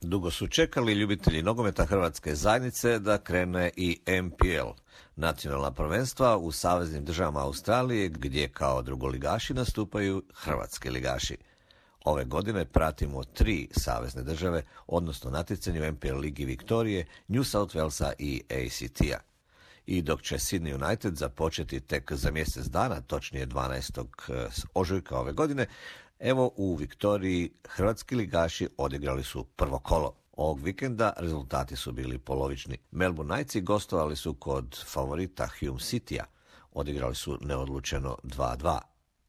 Dugo su čekali ljubitelji nogometa Hrvatske zajednice da krene i MPL, nacionalna prvenstva u saveznim državama Australije, gdje kao drugoligaši nastupaju hrvatski ligaši. Ove godine pratimo 3 savezne države, odnosno natjecanje u MPL ligi Viktorije, New South Walesa i ACT-a. I dok će Sydney United započeti tek za mjesec dana, točnije 12. ožujka ove godine, evo u Viktoriji hrvatski ligaši odigrali su prvo kolo. Ovog vikenda rezultati su bili polovični. Melbourne Knightsi gostovali su kod favorita Hume Citya. Odigrali su neodlučeno 2-2.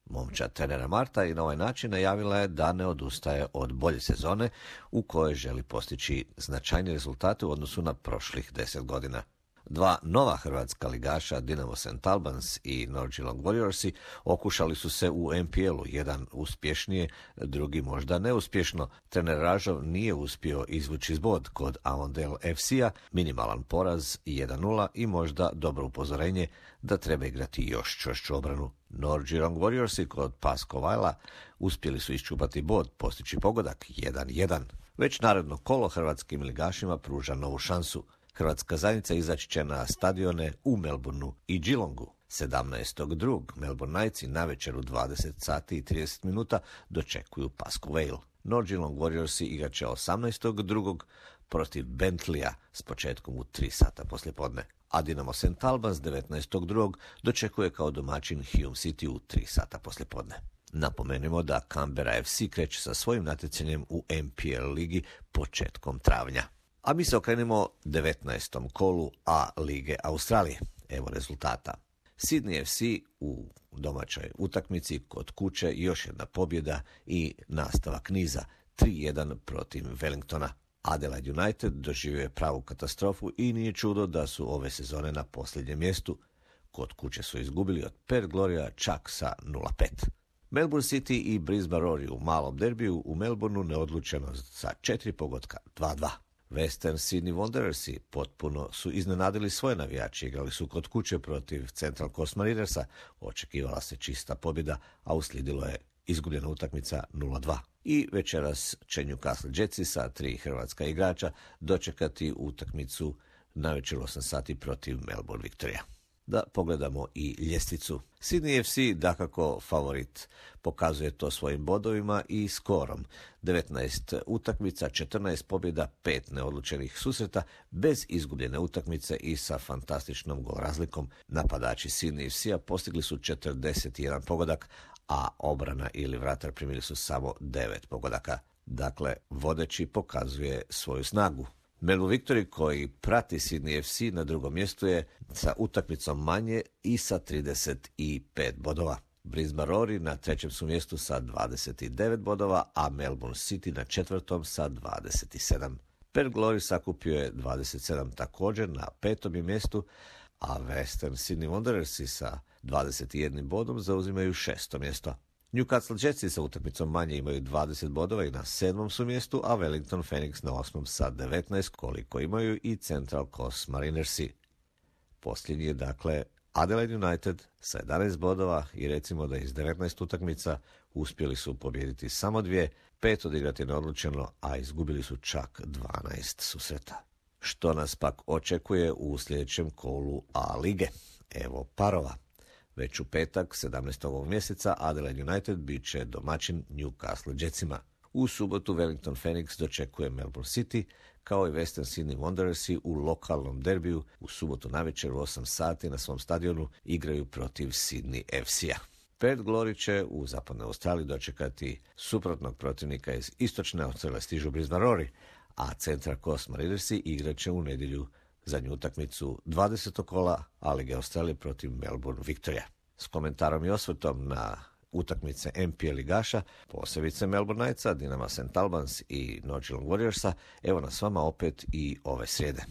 Momčad trenera Marta i na ovaj način najavila je da ne odustaje od bolje sezone u kojoj želi postići značajne rezultate u odnosu na prošlih 10 godina. 2 nova hrvatska ligaša, Dinamo St. Albans i North Geelong Warriorsi, okušali su se u MPL-u, jedan uspješnije, drugi možda neuspješno. Trener Ražov nije uspio izvući zbod kod Avondale FC-a, minimalan poraz 1-0 i možda dobro upozorenje da treba igrati još čvršću obranu. North Geelong Warriorsi kod Pasco Vajla uspjeli su iščupati bod, postići pogodak 1-1. Već naredno kolo hrvatskim ligašima pruža novu šansu. Hrvatska zajednica izaći će na stadione u Melbourneu i Geelongu. 17.2. Melbourne Knightsi navečer u 20 sati i 30 minuta dočekuju Pasco Vale. North Geelong Warriorsi igrat će 18.2. protiv Bentleya s početkom u 3 sata poslijepodne. A Dinamo St. Albans 19.2. dočekuje kao domaćin Hume City u 3 sata poslijepodne. Napomenimo da Canberra FC kreće sa svojim natjecanjem u MPL ligi početkom travnja. A mi se okrenemo 19. kolu A lige Australije. Evo rezultata. Sydney FC u domaćoj utakmici kod kuće još jedna pobjeda i nastavak niza 3-1 protiv Wellingtona. Adelaide United doživio je pravu katastrofu i nije čudo da su ove sezone na posljednjem mjestu. Kod kuće su izgubili od Perth Gloria čak sa 0-5. Melbourne City i Brisbane Roar u malom derbiju u Melbourneu neodlučeno sa 4 pogotka 2-2. Western Sydney Wanderersi potpuno su iznenadili svoje navijače, igrali su kod kuće protiv Central Coast Marinersa, očekivala se čista pobjeda, a uslijedilo je izgubljena utakmica 0-2. I večeras će Newcastle Jetsi sa 3 hrvatska igrača dočekati utakmicu navečer 8 sati protiv Melbourne Victoria. Da pogledamo i ljestvicu. Sydney FC dakako favorit, pokazuje to svojim bodovima i skorom. 19 utakmica, 14 pobjeda, 5 neodlučenih susreta, bez izgubljene utakmice i sa fantastičnom gol razlikom. Napadači Sydney FC-a postigli su 41 pogodak, a obrana ili vratar primili su samo 9 pogodaka. Dakle, vodeći pokazuje svoju snagu. Melbourne Victory, koji prati Sydney FC, na drugom mjestu je sa utakmicom manje i sa 35 bodova. Brisbane Roar na trećem su mjestu sa 29 bodova, a Melbourne City na četvrtom sa 27. Perth Glory sakupio je 27 također na petom je mjestu, a Western Sydney Wanderersi sa 21 bodom zauzimaju šesto mjesto. Newcastle Jetsi sa utakmicom manje imaju 20 bodova i na 7. su mjestu, a Wellington Phoenix na 8. sa 19, koliko imaju i Central Coast Marinersi. Posljednji je dakle Adelaide United sa 11 bodova i recimo da iz 19 utakmica uspjeli su pobijediti samo 2, 5 odigrati neodlučeno, a izgubili su čak 12 susreta. Što nas pak očekuje u sljedećem kolu A lige? Evo parova. Već u petak, 17. ovog mjeseca, Adelaide United bit će domaćin Newcastle Jetsima. U subotu Wellington Phoenix dočekuje Melbourne City, kao i Western Sydney Wanderersi u lokalnom derbiju u subotu navečer u 8 sati na svom stadionu igraju protiv Sydney FC-a. Perth Glory će u zapadnoj Australiji dočekati suprotnog protivnika iz istočne Australije, stižu Brisbane Roar, a Central Coast Marinersi igrat će u nedjelju zadnju utakmicu 20. kola A lige Australije protiv Melbourne Victoria. S komentarom i osvrtom na utakmice MPL ligaša, posebice Melbourne Knightsa, Dinama St. Albans i North Geelong Warriorsa, evo nas vama opet i ove srijede.